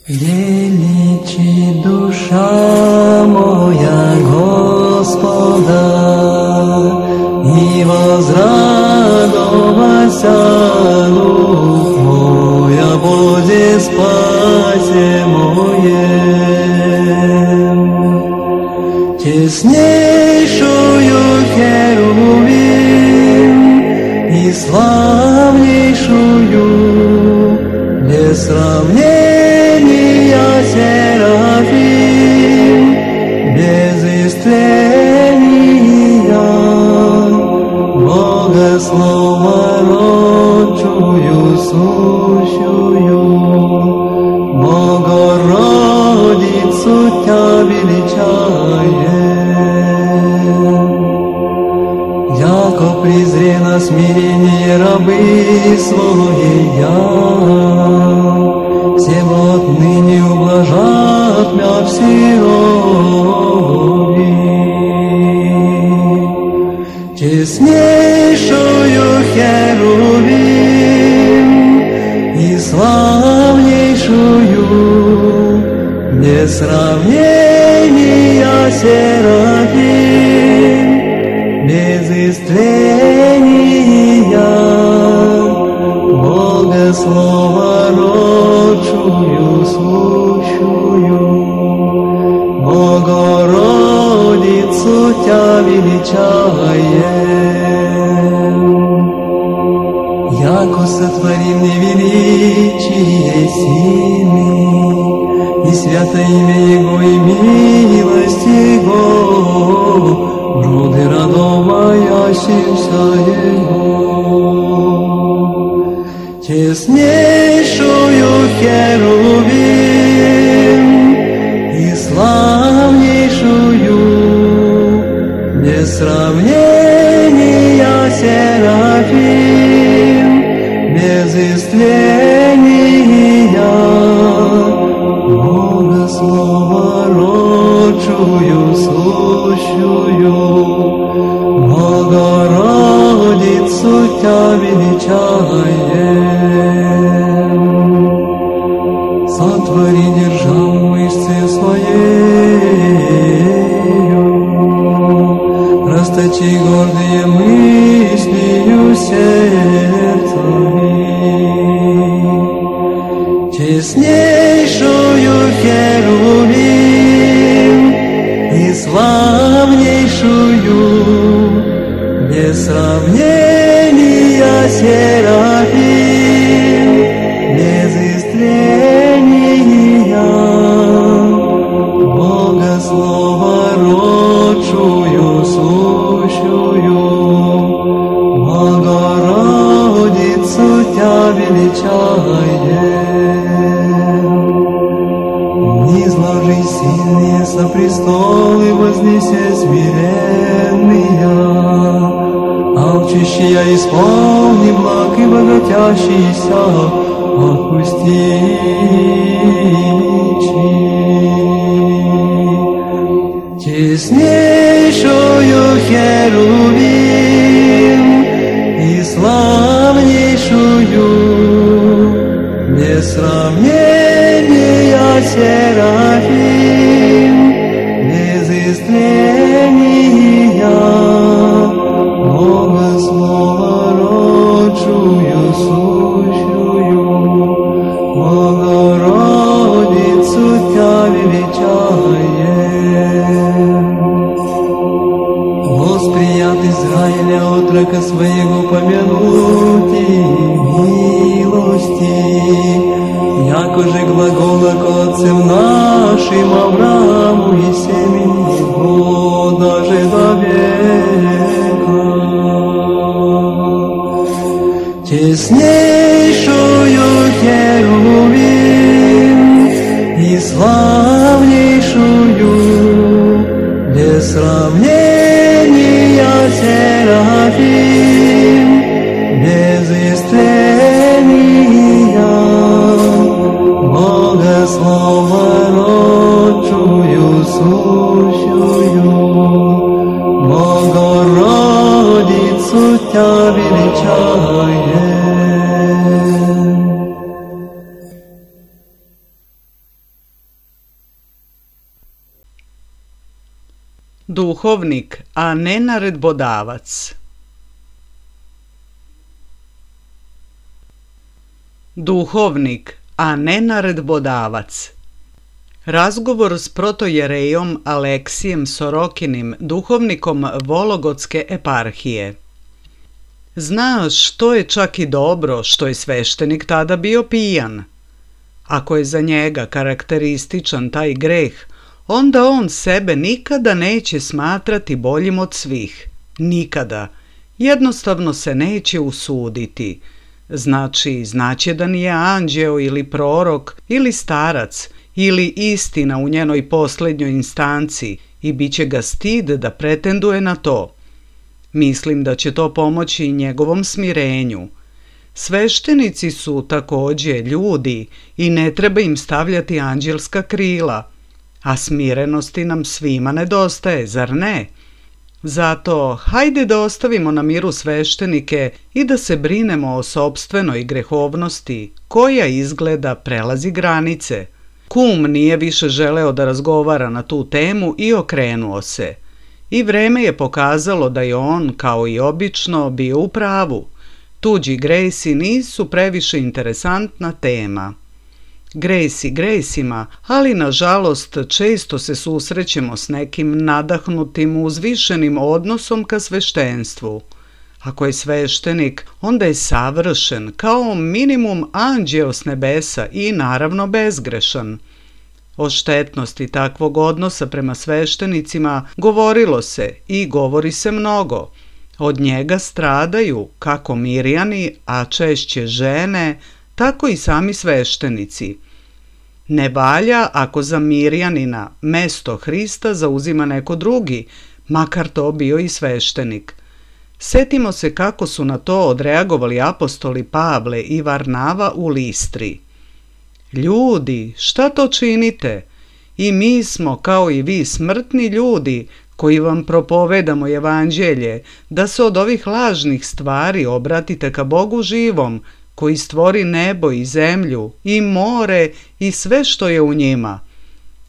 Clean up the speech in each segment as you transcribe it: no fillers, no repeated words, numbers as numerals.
Величи душа моя Господа, и возрадовался дух мой, о Боге спасе моем. Теснейшую херувим и славнейшую без сравнения серафим, без истления Бога слова родчую сущую, Богородицу Тя величаем. Яко презре на смирение рабы своя, всем отныне ублажат мя всерови. Честнейшую херувим и славнейшую без сравнения серафим, без истления Бога слова родчую сущую, Богородицу Тя величаем. Яко сотворим невеличие силы, и свято имя Его, и милость Его, роды радоваящимся Его. Честнейшую херувим и славнейшую без сравнения серафим, без истления Бога слова родчую сущую, Богородицу Тя величаем. Сотвори державу мышцы своею, расточи гордые мыслью сердцами. Честнейшую херувим и славнейшую без сравнения серафим, без истления Бога слова родчую сущую, Богородицу Тя величаем. Низложи сильные со престолы, вознеся смиренные, алчущие исполни благ и богатящийся отпусти. Честнейшую херувим и славнейшую без сравнения серафим, без истления Бога слова родчую сущую, Богородицу Тя величаем. Восприят Израиля отрока своего помянути милости, яко же глагола к отцам нашим Аврааму и семени его даже до века. Честнейшую херувим и славнейшую без сравнения серафим, без истления Бога слова родчую Duhovnik, a ne naredbodavac. Duhovnik, a ne naredbodavac. Razgovor s protojerejom Aleksijem Sorokinim, duhovnikom Vologotske eparhije. Znaš, to je čak i dobro što je sveštenik tada bio pijan. Ako je za njega karakterističan taj greh, onda on sebe nikada neće smatrati boljim od svih. Nikada. Jednostavno se neće usuditi. Znači, znaće da nije anđeo ili prorok ili starac ili istina u njenoj posljednjoj instanci i bit će ga stid da pretenduje na to. Mislim da će to pomoći njegovom smirenju. Sveštenici su također ljudi i ne treba im stavljati anđelska krila, a smirenosti nam svima nedostaje, zar ne? Zato hajde da ostavimo na miru sveštenike i da se brinemo o sopstvenoj grehovnosti koja izgleda prelazi granice. Kum nije više želeo da razgovara na tu temu i okrenuo se. I vreme je pokazalo da je on, kao i obično, bio u pravu. Tuđi gresi nisu previše interesantna tema. Gresi gresima, ali nažalost često se susrećemo s nekim nadahnutim uzvišenim odnosom ka sveštenstvu. Ako je sveštenik, onda je savršen, kao minimum anđeo s nebesa i naravno bezgrešan. O štetnosti takvog odnosa prema sveštenicima govorilo se i govori se mnogo. Od njega stradaju kako Mirjani, a češće žene, tako i sami sveštenici. Ne valja ako za Mirjanina mesto Hrista zauzima neko drugi, makar to bio i sveštenik. Setimo se kako su na to odreagovali apostoli Pavle i Varnava u Listri. Ljudi, šta to činite? I mi smo, kao i vi, smrtni ljudi koji vam propovedamo evanđelje, da se od ovih lažnih stvari obratite ka Bogu živom, koji stvori nebo i zemlju i more i sve što je u njima.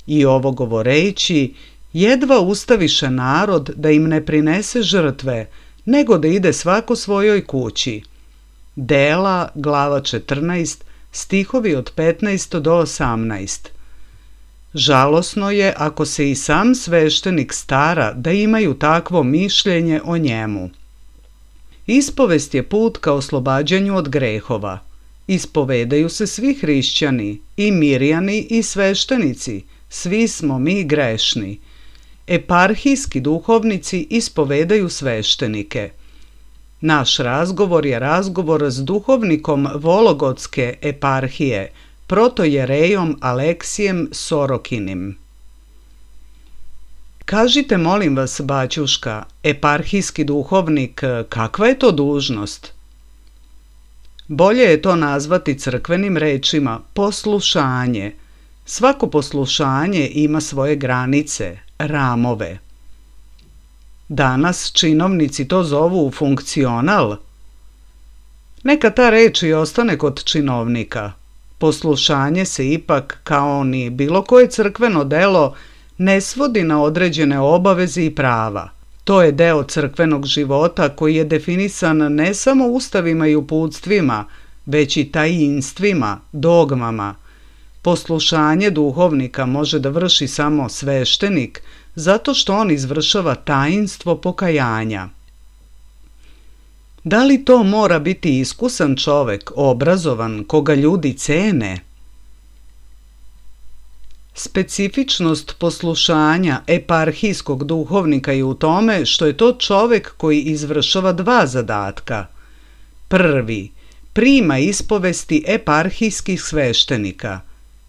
I ovo govoreći, jedva ustaviše narod da im ne prinese žrtve, nego da ide svako svojoj kući. Dela, glava 14, stihovi od 15 do 18. Žalosno je ako se i sam sveštenik stara da imaju takvo mišljenje o njemu. Ispovest je put ka oslobađanju od grehova. Ispovedaju se svi hrišćani, i Mirjani i sveštenici, svi smo mi grešni. Eparhijski duhovnici ispovedaju sveštenike. Naš razgovor je razgovor s duhovnikom Vologotske eparhije, protojerejom Aleksijem Sorokinim. Kažite, molim vas, baćuška, eparhijski duhovnik, kakva je to dužnost? Bolje je to nazvati crkvenim rečima poslušanje. Svako poslušanje ima svoje granice, ramove. Danas činovnici to zovu funkcional. Neka ta reč i ostane kod činovnika. Poslušanje se ipak, kao ni bilo koje crkveno delo, ne svodi na određene obaveze i prava. To je deo crkvenog života koji je definisan ne samo ustavima i uputstvima, već i tajinstvima, dogmama. Poslušanje duhovnika može da vrši samo sveštenik, zato što on izvršava tajinstvo pokajanja. Da li to mora biti iskusan čovek, obrazovan, koga ljudi cene? Specifičnost poslušanja eparhijskog duhovnika je u tome što je to čovek koji izvršava dva zadatka. Prvi, prima ispovesti eparhijskih sveštenika.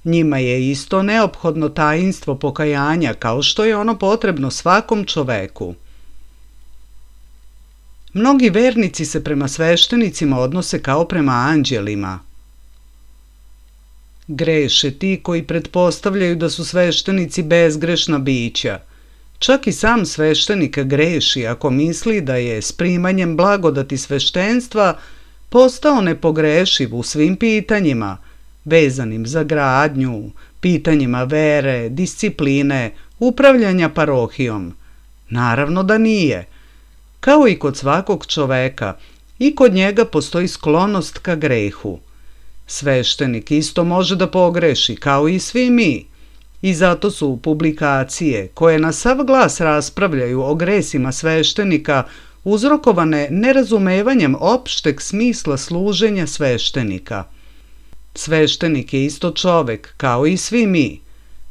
Njima je isto neophodno tajinstvo pokajanja kao što je ono potrebno svakom čoveku. Mnogi vernici se prema sveštenicima odnose kao prema anđelima. Greše ti koji pretpostavljaju da su sveštenici bezgrešna bića. Čak i sam sveštenik greši ako misli da je s primanjem blagodati sveštenstva postao nepogrešiv u svim pitanjima, vezanim za gradnju, pitanjima vere, discipline, upravljanja parohijom. Naravno da nije. Kao i kod svakog čoveka, i kod njega postoji sklonost ka grehu. Sveštenik isto može da pogreši, kao i svi mi. I zato su publikacije koje na sav glas raspravljaju o gresima sveštenika uzrokovane nerazumevanjem opšteg smisla služenja sveštenika. Sveštenik je isto čovek, kao i svi mi.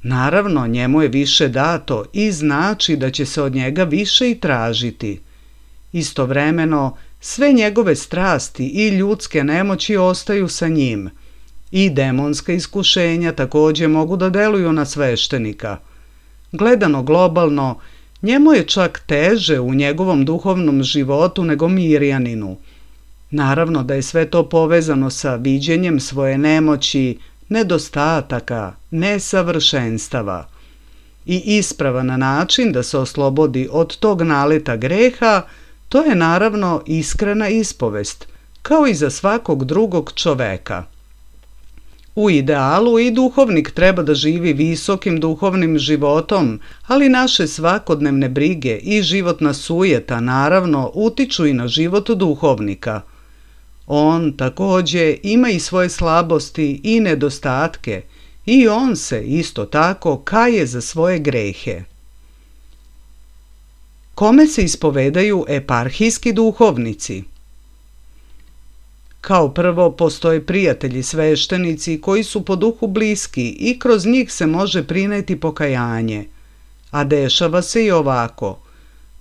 Naravno, njemu je više dato i znači da će se od njega više i tražiti. Istovremeno, sve njegove strasti i ljudske nemoći ostaju sa njim. I demonska iskušenja također mogu da deluju na sveštenika. Gledano globalno, njemu je čak teže u njegovom duhovnom životu nego Mirjaninu. Naravno da je sve to povezano sa viđenjem svoje nemoći, nedostataka, nesavršenstava. I ispravan način da se oslobodi od tog naleta greha, to je naravno iskrena ispovest, kao i za svakog drugog čoveka. U idealu i duhovnik treba da živi visokim duhovnim životom, ali naše svakodnevne brige i životna sujeta naravno utiču i na život duhovnika. On također ima i svoje slabosti i nedostatke i on se isto tako kaje za svoje grehe. Kome se ispovedaju eparhijski duhovnici? Kao prvo postoje prijatelji sveštenici koji su po duhu bliski i kroz njih se može prineti pokajanje. A dešava se i ovako.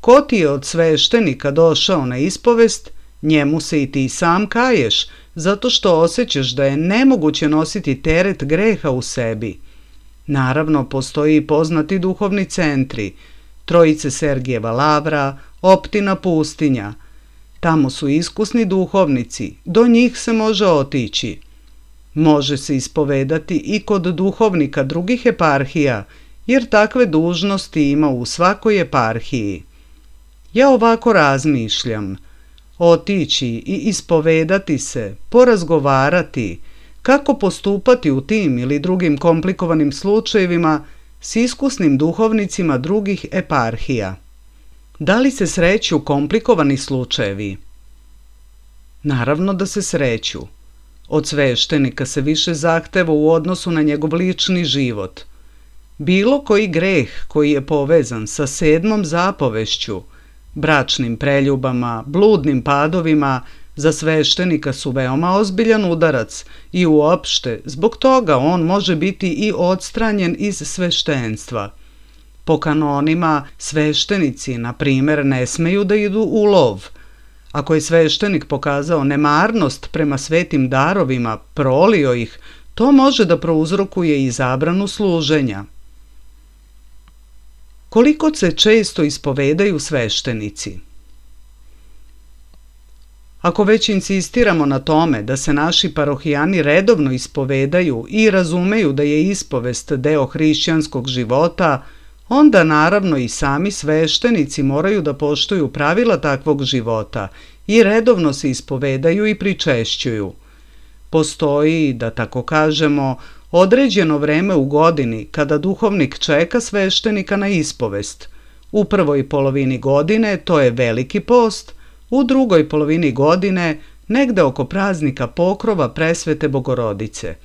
Ko ti je od sveštenika došao na ispovest, njemu se i ti sam kaješ, zato što osjećaš da je nemoguće nositi teret greha u sebi. Naravno, postoji i poznati duhovni centri, Trojice Sergijeva lavra, Optina pustinja. Tamo su iskusni duhovnici, do njih se može otići. Može se ispovedati i kod duhovnika drugih eparhija, jer takve dužnosti ima u svakoj eparhiji. Ja ovako razmišljam. Otići i ispovedati se, porazgovarati, kako postupati u tim ili drugim komplikovanim slučajevima s iskusnim duhovnicima drugih eparhija. Da li se sreću komplikovani slučajevi? Naravno da se sreću. Od sveštenika se više zahteva u odnosu na njegov lični život. Bilo koji greh koji je povezan sa 7. zapovešću, bračnim preljubama, bludnim padovima, za sveštenika su veoma ozbiljan udarac i uopšte zbog toga on može biti i odstranjen iz sveštenstva. Po kanonima sveštenici, na primjer, ne smeju da idu u lov. Ako je sveštenik pokazao nemarnost prema svetim darovima, prolio ih, to može da prouzrokuje i zabranu služenja. Koliko se često ispovedaju sveštenici? Ako već insistiramo na tome da se naši parohijani redovno ispovedaju i razumeju da je ispovest deo hrišćanskog života, onda naravno i sami sveštenici moraju da poštuju pravila takvog života i redovno se ispovedaju i pričešćuju. Postoji, da tako kažemo, određeno vreme u godini kada duhovnik čeka sveštenika na ispovest. U prvoj polovini godine to je Veliki post, u drugoj polovini godine negde oko praznika Pokrova Presvete Bogorodice.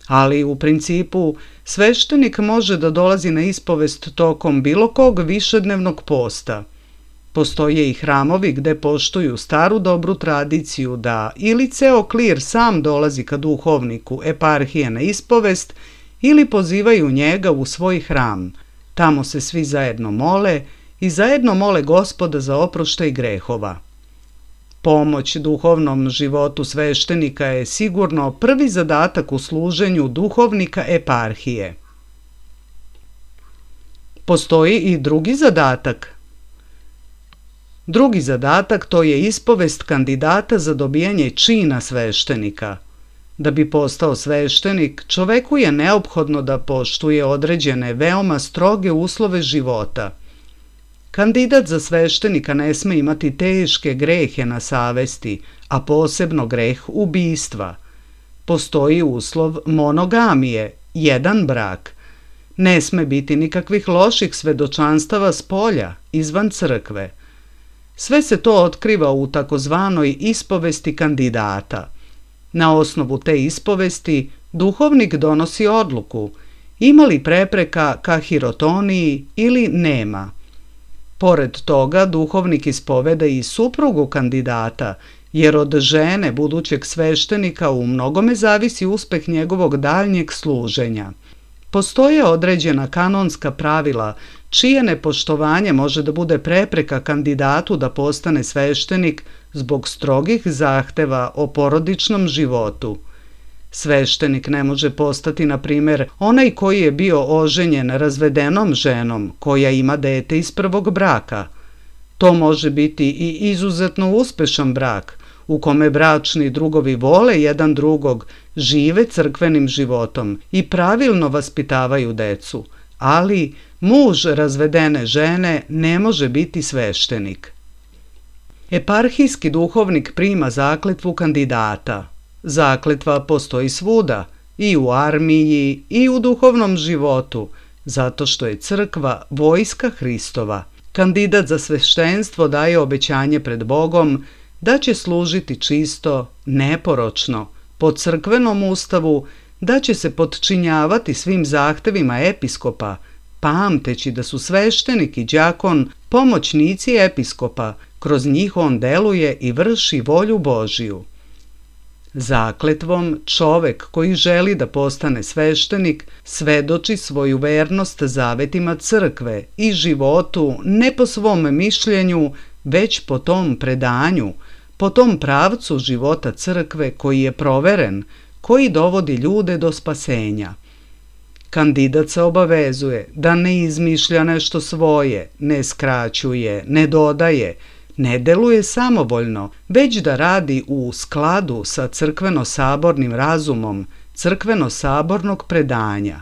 Ali u principu sveštenik može da dolazi na ispovest tokom bilo kog višednevnog posta. Postoje i hramovi gde poštuju staru dobru tradiciju da ili ceo klir sam dolazi ka duhovniku eparhije na ispovest ili pozivaju njega u svoj hram. Tamo se svi zajedno mole i zajedno mole Gospoda za oproštaj grehova. Pomoć duhovnom životu sveštenika je sigurno prvi zadatak u služenju duhovnika eparhije. Postoji i drugi zadatak. Drugi zadatak to je ispovest kandidata za dobijanje čina sveštenika. Da bi postao sveštenik, čoveku je neophodno da poštuje određene veoma stroge uslove života. Kandidat za sveštenika ne sme imati teške grehe na savesti, a posebno greh ubistva. Postoji uslov monogamije, jedan brak. Ne sme biti nikakvih loših svedočanstava s polja, izvan crkve. Sve se to otkriva u takozvanoj ispovesti kandidata. Na osnovu te ispovesti duhovnik donosi odluku ima li prepreka ka hirotoniji ili nema. Pored toga duhovnik ispoveda i suprugu kandidata, jer od žene budućeg sveštenika u mnogome zavisi uspeh njegovog daljnjeg služenja. Postoje određena kanonska pravila čije nepoštovanje može da bude prepreka kandidatu da postane sveštenik zbog strogih zahteva o porodičnom životu. Sveštenik ne može postati, na primjer, onaj koji je bio oženjen razvedenom ženom koja ima dete iz prvog braka. To može biti i izuzetno uspešan brak, u kome bračni drugovi vole jedan drugog, žive crkvenim životom i pravilno vaspitavaju decu, ali muž razvedene žene ne može biti sveštenik. Eparhijski duhovnik prima zakletvu kandidata. Zakletva postoji svuda, i u armiji, i u duhovnom životu, zato što je crkva vojska Hristova. Kandidat za sveštenstvo daje obećanje pred Bogom da će služiti čisto, neporočno, po crkvenom ustavu, da će se potčinjavati svim zahtevima episkopa, pamteći da su sveštenik i đakon pomoćnici episkopa, kroz njih on deluje i vrši volju Božiju. Zakletvom čovek koji želi da postane sveštenik svedoči svoju vernost zavetima crkve i životu ne po svom mišljenju, već po tom predanju, po tom pravcu života crkve koji je proveren, koji dovodi ljude do spasenja. Kandidat se obavezuje da ne izmišlja nešto svoje, ne skraćuje, ne dodaje, ne deluje samovoljno, već da radi u skladu sa crkveno-sabornim razumom, crkveno-sabornog predanja.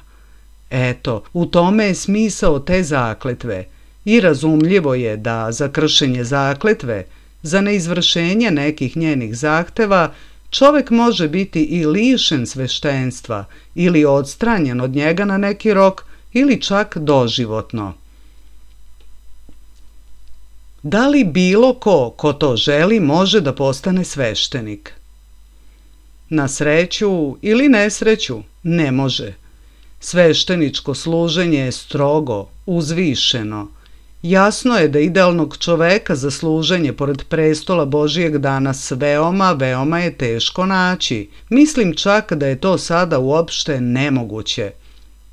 Eto, u tome je smisao te zakletve i razumljivo je da za kršenje zakletve, za neizvršenje nekih njenih zahteva, čovek može biti i lišen sveštenstva ili odstranjen od njega na neki rok ili čak doživotno. Da li bilo ko to želi može da postane sveštenik? Na sreću ili nesreću ne može. Svešteničko služenje je strogo, uzvišeno. Jasno je da idealnog čoveka za služenje pored prestola Božijeg danas veoma je teško naći. Mislim čak da je to sada uopšte nemoguće.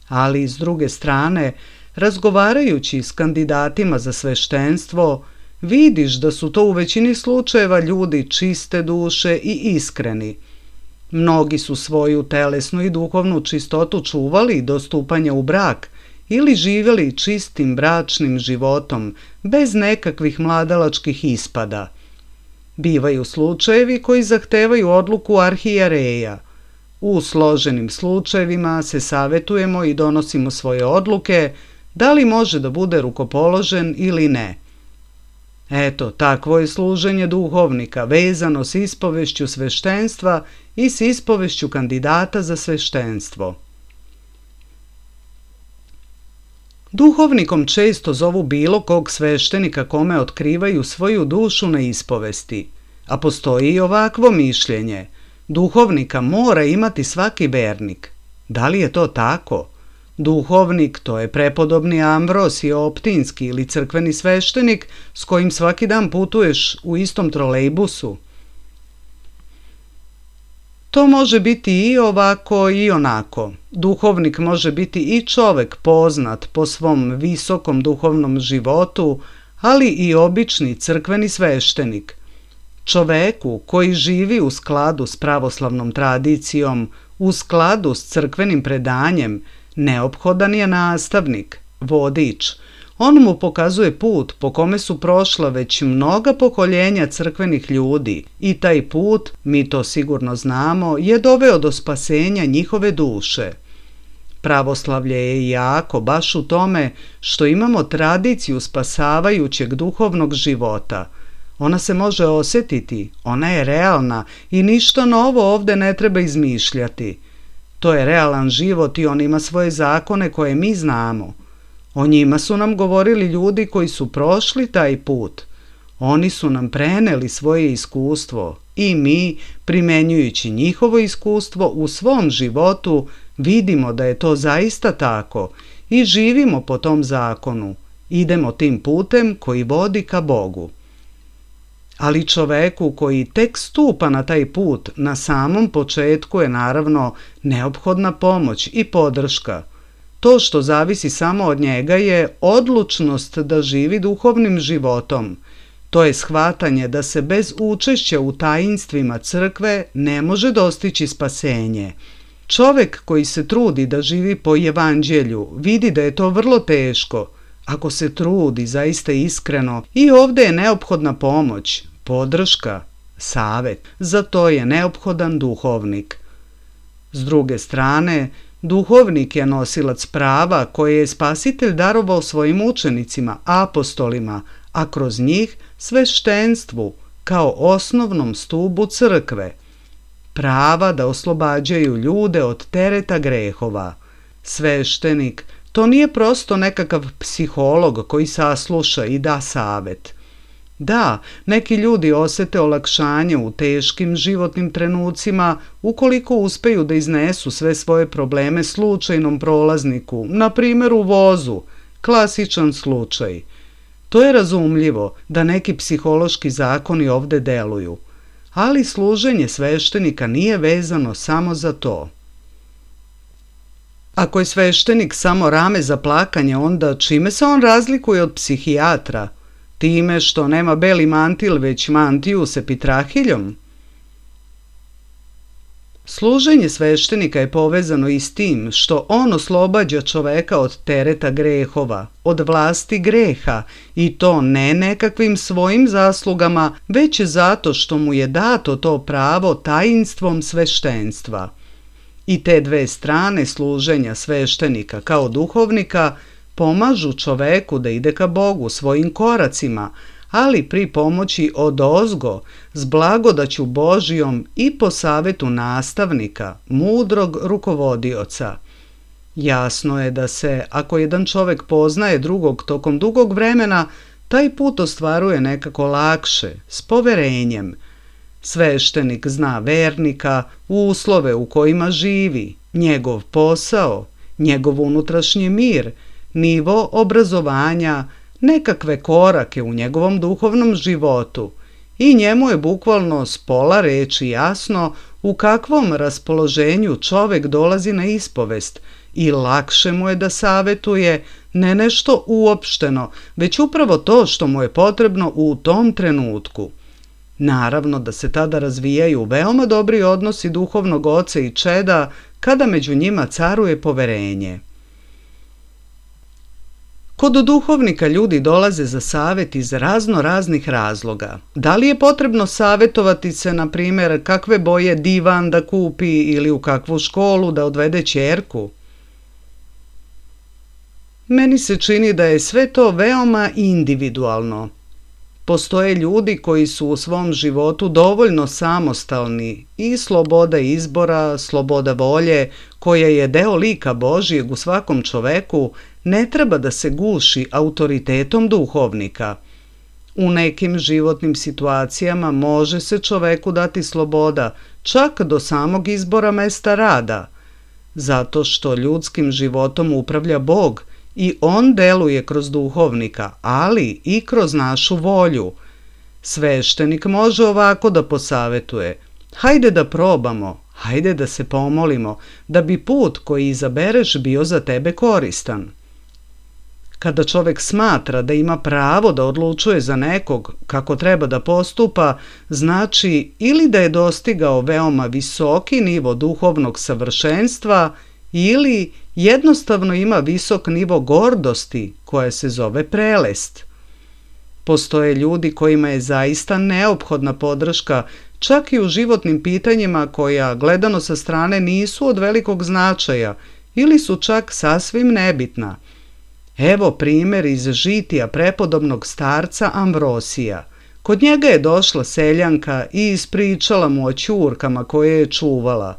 Ali s druge strane, razgovarajući s kandidatima za sveštenstvo, vidiš da su to u većini slučajeva ljudi čiste duše i iskreni. Mnogi su svoju telesnu i duhovnu čistotu čuvali do stupanja u brak ili živjeli čistim bračnim životom, bez nekakvih mladalačkih ispada. Bivaju slučajevi koji zahtevaju odluku arhijereja. U složenim slučajevima se savetujemo i donosimo svoje odluke, da li može da bude rukopoložen ili ne. Eto, takvo je služenje duhovnika, vezano s ispovešću sveštenstva i s ispovešću kandidata za sveštenstvo. Duhovnikom često zovu bilo kog sveštenika kome otkrivaju svoju dušu na ispovesti, a postoji i ovakvo mišljenje. Duhovnika mora imati svaki vernik. Da li je to tako? Duhovnik, to je prepodobni Ambrosij Optinski ili crkveni sveštenik s kojim svaki dan putuješ u istom trolejbusu. To može biti i ovako i onako. Duhovnik može biti i čovek poznat po svom visokom duhovnom životu, ali i obični crkveni sveštenik. Čoveku koji živi u skladu s pravoslavnom tradicijom, u skladu s crkvenim predanjem, neophodan je nastavnik, vodič. On mu pokazuje put po kome su prošla već mnoga pokoljenja crkvenih ljudi i taj put, mi to sigurno znamo, je doveo do spasenja njihove duše. Pravoslavlje je jako baš u tome što imamo tradiciju spasavajućeg duhovnog života. Ona se može osjetiti, ona je realna i ništa novo ovde ne treba izmišljati. To je realan život i on ima svoje zakone koje mi znamo. O njima su nam govorili ljudi koji su prošli taj put. Oni su nam preneli svoje iskustvo i mi, primenjujući njihovo iskustvo u svom životu, vidimo da je to zaista tako i živimo po tom zakonu. Idemo tim putem koji vodi ka Bogu. Ali čoveku koji tek stupa na taj put, na samom početku je naravno neophodna pomoć i podrška. To što zavisi samo od njega je odlučnost da živi duhovnim životom. To je shvatanje da se bez učešća u tajinstvima crkve ne može dostići spasenje. Čovek koji se trudi da živi po evanđelju vidi da je to vrlo teško. Ako se trudi zaista iskreno, i ovdje je neophodna pomoć, podrška, savet. Za to je neophodan duhovnik. S druge strane, duhovnik je nosilac prava koje je Spasitelj darovao svojim učenicima, apostolima, a kroz njih sveštenstvu kao osnovnom stubu crkve. Prava da oslobađaju ljude od tereta grehova. Sveštenik to nije prosto nekakav psiholog koji sasluša i da savet. Da, neki ljudi osete olakšanje u teškim životnim trenucima ukoliko uspeju da iznesu sve svoje probleme slučajnom prolazniku, na primjer u vozu, klasičan slučaj. To je razumljivo da neki psihološki zakoni ovdje deluju, ali služenje sveštenika nije vezano samo za to. Ako je sveštenik samo rame za plakanje, onda čime se on razlikuje od psihijatra? Time što nema beli mantil, već mantiju s epitrahiljom? Služenje sveštenika je povezano i s tim što on oslobađa čoveka od tereta grehova, od vlasti greha, i to ne nekakvim svojim zaslugama, već zato što mu je dato to pravo tajinstvom sveštenstva. I te dve strane služenja sveštenika kao duhovnika pomažu čoveku da ide ka Bogu svojim koracima, ali pri pomoći odozgo, s blagodaću Božijom i po savetu nastavnika, mudrog rukovodioca. Jasno je da se, ako jedan čovek poznaje drugog tokom dugog vremena, taj put ostvaruje nekako lakše, s poverenjem. Sveštenik zna vernika, uslove u kojima živi, njegov posao, njegov unutrašnji mir, nivo obrazovanja, nekakve korake u njegovom duhovnom životu, i njemu je bukvalno s pola reči jasno u kakvom raspoloženju čovek dolazi na ispovest, i lakše mu je da savetuje ne nešto uopšteno, već upravo to što mu je potrebno u tom trenutku. Naravno da se tada razvijaju veoma dobri odnosi duhovnog oca i čeda kada među njima caruje poverenje. Kod duhovnika ljudi dolaze za savet iz raznih razloga. Da li je potrebno savetovati se, na primjer, kakve boje divan da kupi ili u kakvu školu da odvede ćerku? Meni se čini da je sve to veoma individualno. Postoje ljudi koji su u svom životu dovoljno samostalni i sloboda izbora, sloboda volje, koja je deo lika Božijeg u svakom čoveku, ne treba da se guši autoritetom duhovnika. U nekim životnim situacijama može se čoveku dati sloboda, čak do samog izbora mesta rada, zato što ljudskim životom upravlja Bog i on deluje kroz duhovnika, ali i kroz našu volju. Sveštenik može ovako da posavetuje: hajde da probamo, hajde da se pomolimo, da bi put koji izabereš bio za tebe koristan. Kada čovek smatra da ima pravo da odlučuje za nekog kako treba da postupa, znači ili da je dostigao veoma visoki nivo duhovnog savršenstva ili jednostavno ima visok nivo gordosti koja se zove prelest. Postoje ljudi kojima je zaista neophodna podrška čak i u životnim pitanjima koja, gledano sa strane, nisu od velikog značaja ili su čak sasvim nebitna. Evo primjer iz žitija prepodobnog starca Amvrosija. Kod njega je došla seljanka i ispričala mu o ćurkama koje je čuvala.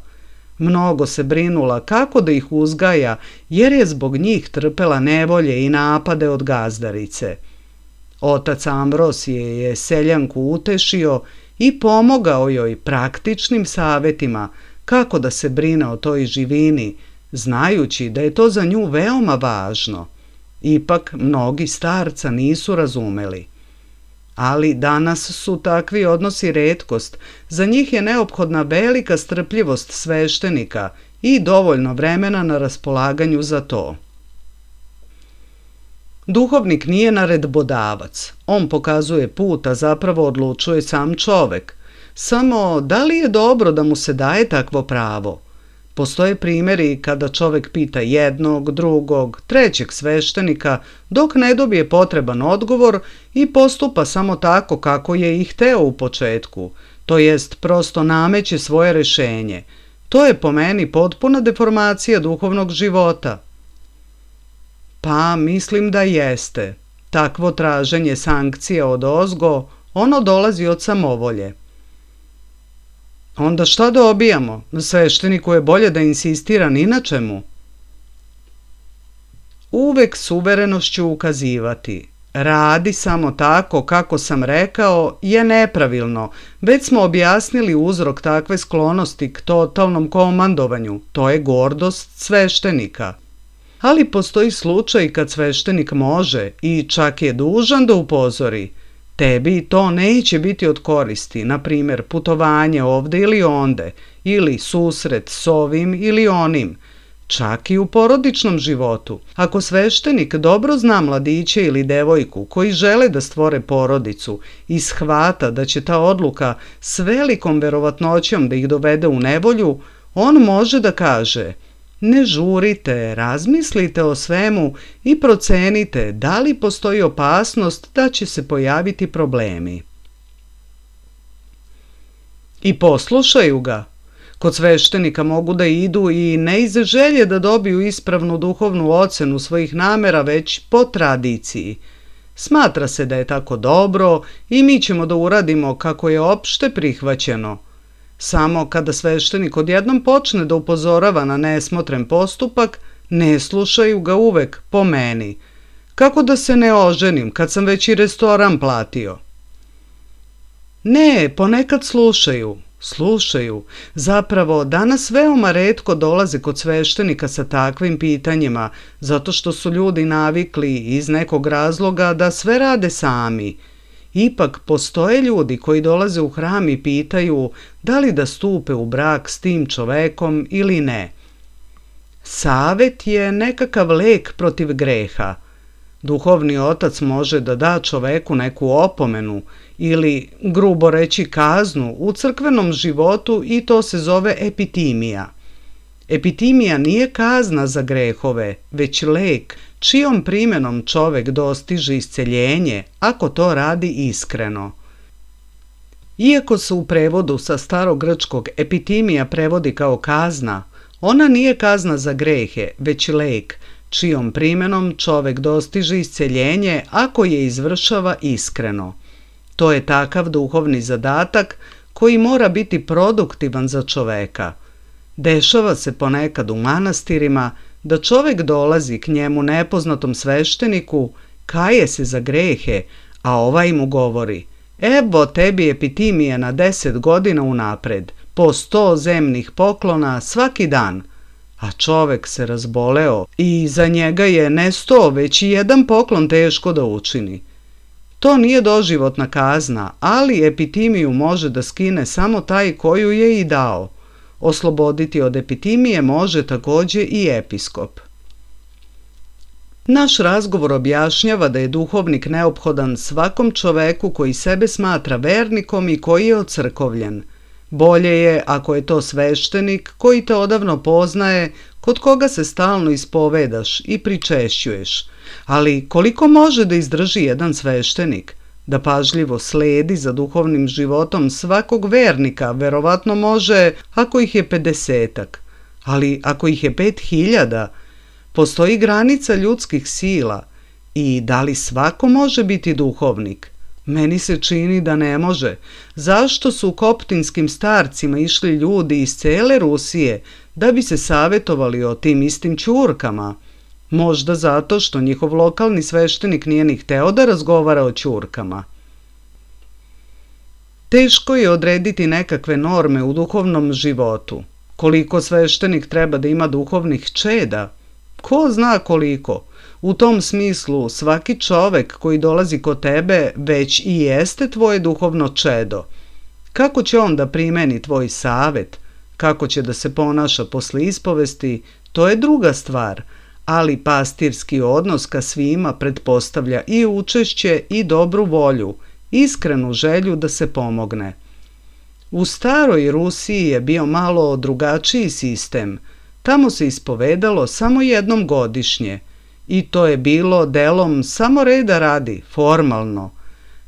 Mnogo se brinula kako da ih uzgaja, jer je zbog njih trpela nevolje i napade od gazdarice. Otac Ambrosije je seljanku utešio i pomogao joj praktičnim savjetima kako da se brine o toj živini, znajući da je to za nju veoma važno. Ipak mnogi starca nisu razumeli. Ali danas su takvi odnosi retkost, za njih je neophodna velika strpljivost sveštenika i dovoljno vremena na raspolaganju za to. Duhovnik nije naredbodavac, on pokazuje put, a zapravo odlučuje sam čovek. Samo da li je dobro da mu se daje takvo pravo? Postoje primjeri kada čovek pita jednog, drugog, trećeg sveštenika dok ne dobije potreban odgovor i postupa samo tako kako je i hteo u početku, to jest prosto nameće svoje rešenje. To je po meni potpuna deformacija duhovnog života. Pa mislim da jeste. Takvo traženje sankcija od ozgo, ono dolazi od samovolje. Onda šta dobijamo? Svešteniku je bolje da insistira ni na čemu. Uvek s uverenošću ukazivati. Radi samo tako kako sam rekao je nepravilno. Već smo objasnili uzrok takve sklonosti k totalnom komandovanju. To je gordost sveštenika. Ali postoji slučaj kad sveštenik može i čak je dužan da upozori. Tebi to neće biti od koristi, na primjer putovanje ovde ili onde, ili susret s ovim ili onim, čak i u porodičnom životu. Ako sveštenik dobro zna mladiće ili devojku koji žele da stvore porodicu i shvata da će ta odluka s velikom verovatnoćom da ih dovede u nevolju, on može da kaže: ne žurite, razmislite o svemu i procenite da li postoji opasnost da će se pojaviti problemi. I poslušaju ga. Kod sveštenika mogu da idu i ne iz želje da dobiju ispravnu duhovnu ocenu svojih namera, već po tradiciji. Smatra se da je tako dobro i mi ćemo da uradimo kako je opšte prihvaćeno. Samo kada sveštenik odjednom počne da upozorava na nesmotren postupak, ne slušaju ga uvek po meni. Kako da se ne oženim kad sam već i restoran platio? Ne, ponekad slušaju. Zapravo, danas veoma retko dolaze kod sveštenika sa takvim pitanjima, zato što su ljudi navikli iz nekog razloga da sve rade sami. Ipak postoje ljudi koji dolaze u hram i pitaju da li da stupe u brak s tim čovekom ili ne. Savet je nekakav lek protiv greha. Duhovni otac može da da čoveku neku opomenu ili, grubo reći, kaznu u crkvenom životu i to se zove epitimija. Epitimija nije kazna za grehove, već lek čijom primjenom čovek dostiže isceljenje ako to radi iskreno. Iako se u prevodu sa starogrčkog epitimija prevodi kao kazna, ona nije kazna za grehe, već lek čijom primjenom čovek dostiže isceljenje ako je izvršava iskreno. To je takav duhovni zadatak koji mora biti produktivan za čoveka. Dešava se ponekad u manastirima da čovek dolazi k njemu nepoznatom svešteniku, kaje se za grehe, a ovaj mu govori: evo tebi epitimije na 10 godina unapred, po 100 zemnih poklona svaki dan. A čovek se razboleo i za njega je ne 100, već i jedan poklon teško da učini. To nije doživotna kazna, ali epitimiju može da skine samo taj koju je i dao. Osloboditi od epitimije može takođe i episkop. Naš razgovor objašnjava da je duhovnik neophodan svakom čoveku koji sebe smatra vernikom i koji je ocrkovljen. Bolje je ako je to sveštenik koji te odavno poznaje, kod koga se stalno ispovedaš i pričešćuješ. Ali koliko može da izdrži jedan sveštenik? Da pažljivo sledi za duhovnim životom svakog vernika, verovatno može ako ih je 50-ak. Ali ako ih je 5000, postoji granica ljudskih sila. I da li svako može biti duhovnik? Meni se čini da ne može. Zašto su koptinskim starcima išli ljudi iz cele Rusije da bi se savjetovali o tim istim ćurkama? Možda zato što njihov lokalni sveštenik nije ni hteo da razgovara o ćurkama. Teško je odrediti nekakve norme u duhovnom životu. Koliko sveštenik treba da ima duhovnih čeda? Ko zna koliko? U tom smislu svaki čovek koji dolazi kod tebe već i jeste tvoje duhovno čedo. Kako će on da primeni tvoj savet? Kako će da se ponaša posle ispovesti? To je druga stvar, ali pastirski odnos ka svima pretpostavlja i učešće i dobru volju, iskrenu želju da se pomogne. U staroj Rusiji je bio malo drugačiji sistem. Tamo se ispovedalo samo jednom godišnje i to je bilo delom samo reda radi, formalno.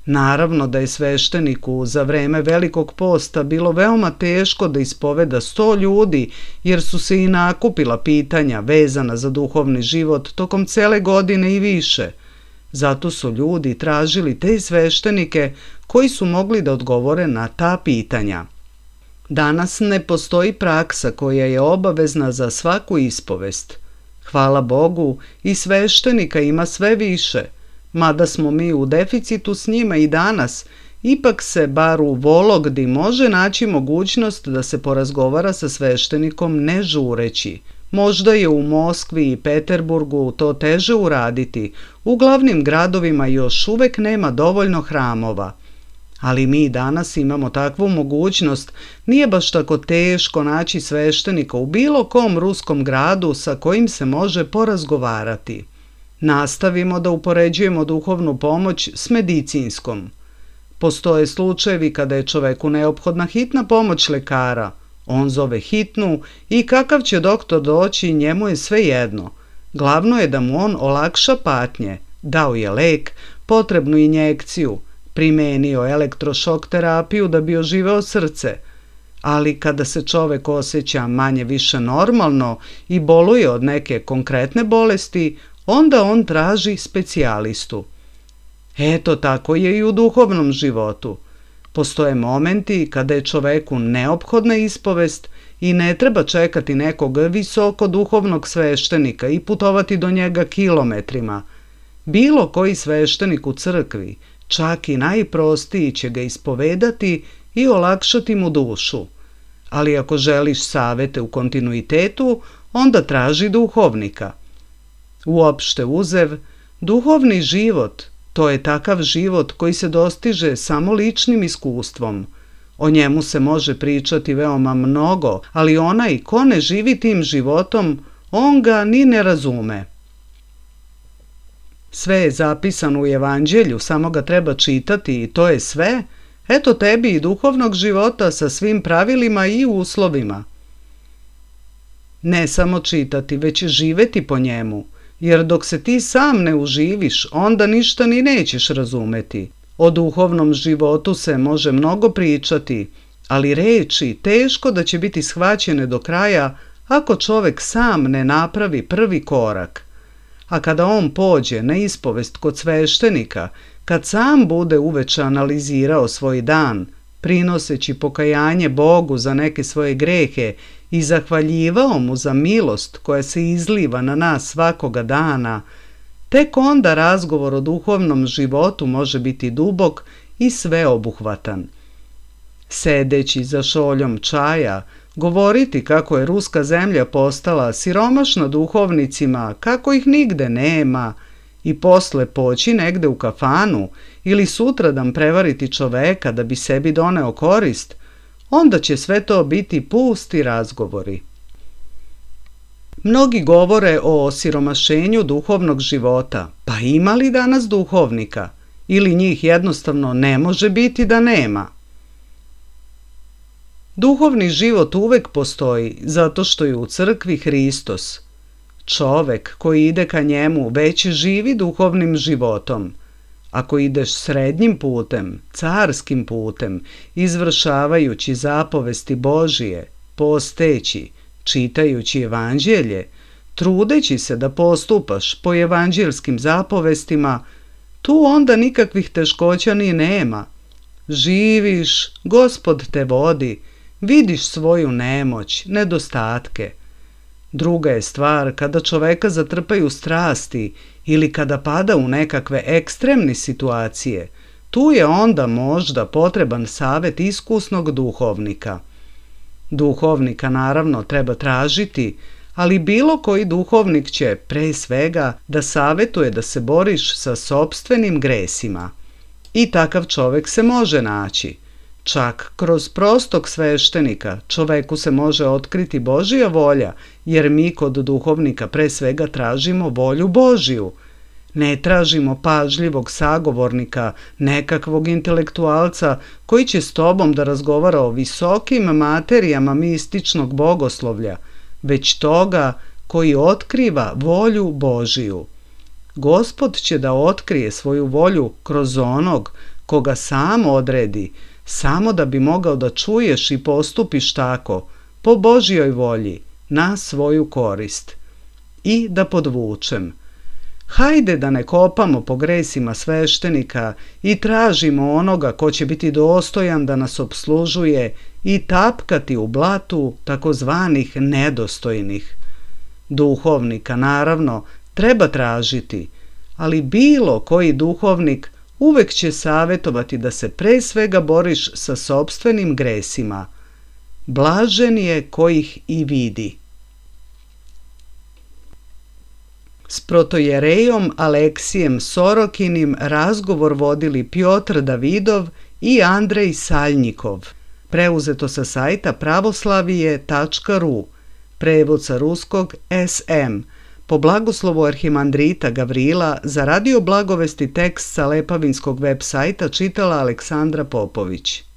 Naravno da je svešteniku za vreme Velikog posta bilo veoma teško da ispoveda 100 ljudi jer su se i nakupila pitanja vezana za duhovni život tokom cele godine i više. Zato su ljudi tražili te sveštenike koji su mogli da odgovore na ta pitanja. Danas ne postoji praksa koja je obavezna za svaku ispovest. Hvala Bogu, i sveštenika ima sve više. Mada smo mi u deficitu s njima i danas, ipak se bar u Vologdi može naći mogućnost da se porazgovara sa sveštenikom ne žureći. Možda je u Moskvi i Peterburgu to teže uraditi, u glavnim gradovima još uvek nema dovoljno hramova. Ali mi danas imamo takvu mogućnost, nije baš tako teško naći sveštenika u bilo kom ruskom gradu sa kojim se može porazgovarati. Nastavimo da upoređujemo duhovnu pomoć s medicinskom. Postoje slučajevi kada je čoveku neophodna hitna pomoć lekara. On zove hitnu i kakav će doktor doći, njemu je sve jedno. Glavno je da mu on olakša patnje. Dao je lek, potrebnu injekciju, primenio elektrošok terapiju da bi oživeo srce. Ali kada se čovek osjeća manje više normalno i boluje od neke konkretne bolesti, onda on traži specijalistu. Eto, tako je i u duhovnom životu. Postoje momenti kada je čoveku neophodna ispovest i ne treba čekati nekog visoko duhovnog sveštenika i putovati do njega kilometrima. Bilo koji sveštenik u crkvi, čak i najprostiji, će ga ispovedati i olakšati mu dušu. Ali ako želiš savete u kontinuitetu, onda traži duhovnika. Uopšte uzev, duhovni život, to je takav život koji se dostiže samo ličnim iskustvom. O njemu se može pričati veoma mnogo, ali onaj ko ne živi tim životom, on ga ni ne razume. Sve je zapisano u Evanđelju, samo ga treba čitati i to je sve. Eto tebi i duhovnog života sa svim pravilima i uslovima. Ne samo čitati, već živeti po njemu, jer dok se ti sam ne uživiš, onda ništa ni nećeš razumeti. O duhovnom životu se može mnogo pričati, ali reči teško da će biti shvaćene do kraja ako čovek sam ne napravi prvi korak. A kada on pođe na ispovest kod sveštenika, kad sam bude uveče analizirao svoj dan, prinoseći pokajanje Bogu za neke svoje grehe i zahvaljivao mu za milost koja se izliva na nas svakoga dana, tek onda razgovor o duhovnom životu može biti dubok i sveobuhvatan. Sedeći za šoljom čaja, govoriti kako je ruska zemlja postala siromašna duhovnicima, kako ih nigde nema, i posle poći negde u kafanu ili sutradan prevariti čoveka da bi sebi doneo korist, onda će sve to biti pusti razgovori. Mnogi govore o osiromašenju duhovnog života, pa ima li danas duhovnika? Ili njih jednostavno ne može biti da nema? Duhovni život uvek postoji, zato što je u crkvi Hristos. Čovek koji ide ka njemu već živi duhovnim životom. Ako ideš srednjim putem, carskim putem, izvršavajući zapovesti Božije, posteći, čitajući evanđelje, trudeći se da postupaš po evanđelskim zapovestima, tu onda nikakvih teškoća ni nema. Živiš, Gospod te vodi, vidiš svoju nemoć, nedostatke. Druga je stvar kada čoveka zatrpaju strasti ili kada pada u nekakve ekstremne situacije. Tu je onda možda potreban savjet iskusnog duhovnika. Duhovnika naravno treba tražiti, ali bilo koji duhovnik će, pre svega, da savjetuje da se boriš sa sopstvenim gresima. I takav čovjek se može naći. Čak kroz prostog sveštenika čoveku se može otkriti Božja volja, jer mi kod duhovnika pre svega tražimo volju Božju. Ne tražimo pažljivog sagovornika, nekakvog intelektualca koji će s tobom da razgovara o visokim materijama mističnog bogoslovlja, već toga koji otkriva volju Božiju. Gospod će da otkrije svoju volju kroz onog koga sam odredi, samo da bi mogao da čuješ i postupiš tako, po Božjoj volji, na svoju korist. I da podvučem. Hajde da ne kopamo po gresima sveštenika i tražimo onoga ko će biti dostojan da nas obslužuje i tapkati u blatu takozvanih nedostojnih. Duhovnika, naravno, treba tražiti, ali bilo koji duhovnik uvek će savjetovati da se pre svega boriš sa sopstvenim gresima. Blažen je ko ih i vidi. S protojerejom Aleksijem Sorokinim razgovor vodili Pjotr Davidov i Andrej Saljnikov. Preuzeto sa sajta pravoslavije.ru, prevod sa ruskog SM, po blagoslovu arhimandrita Gavrila, za Radio Blagovesti tekst sa Lepavinskog web sajta čitala Aleksandra Popović.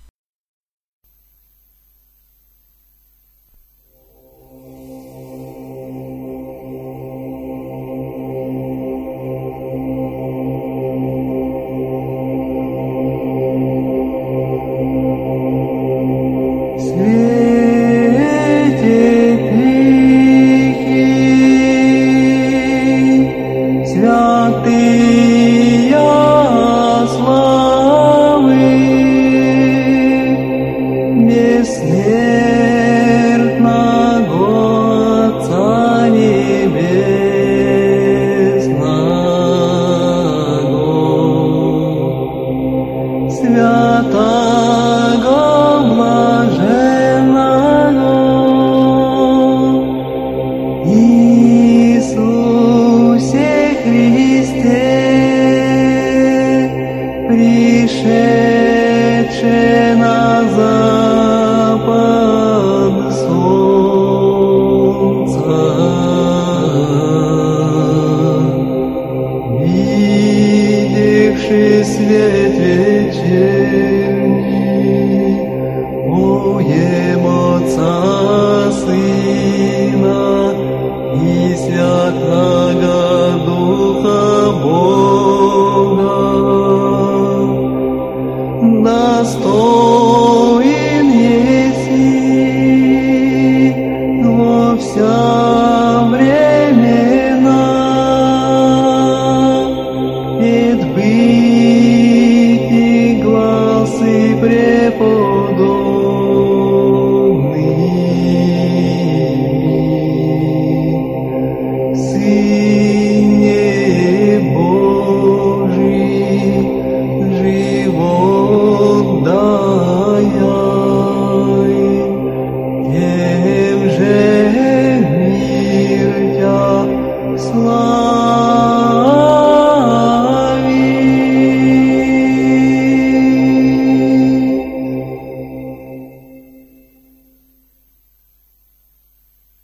Времена, ведь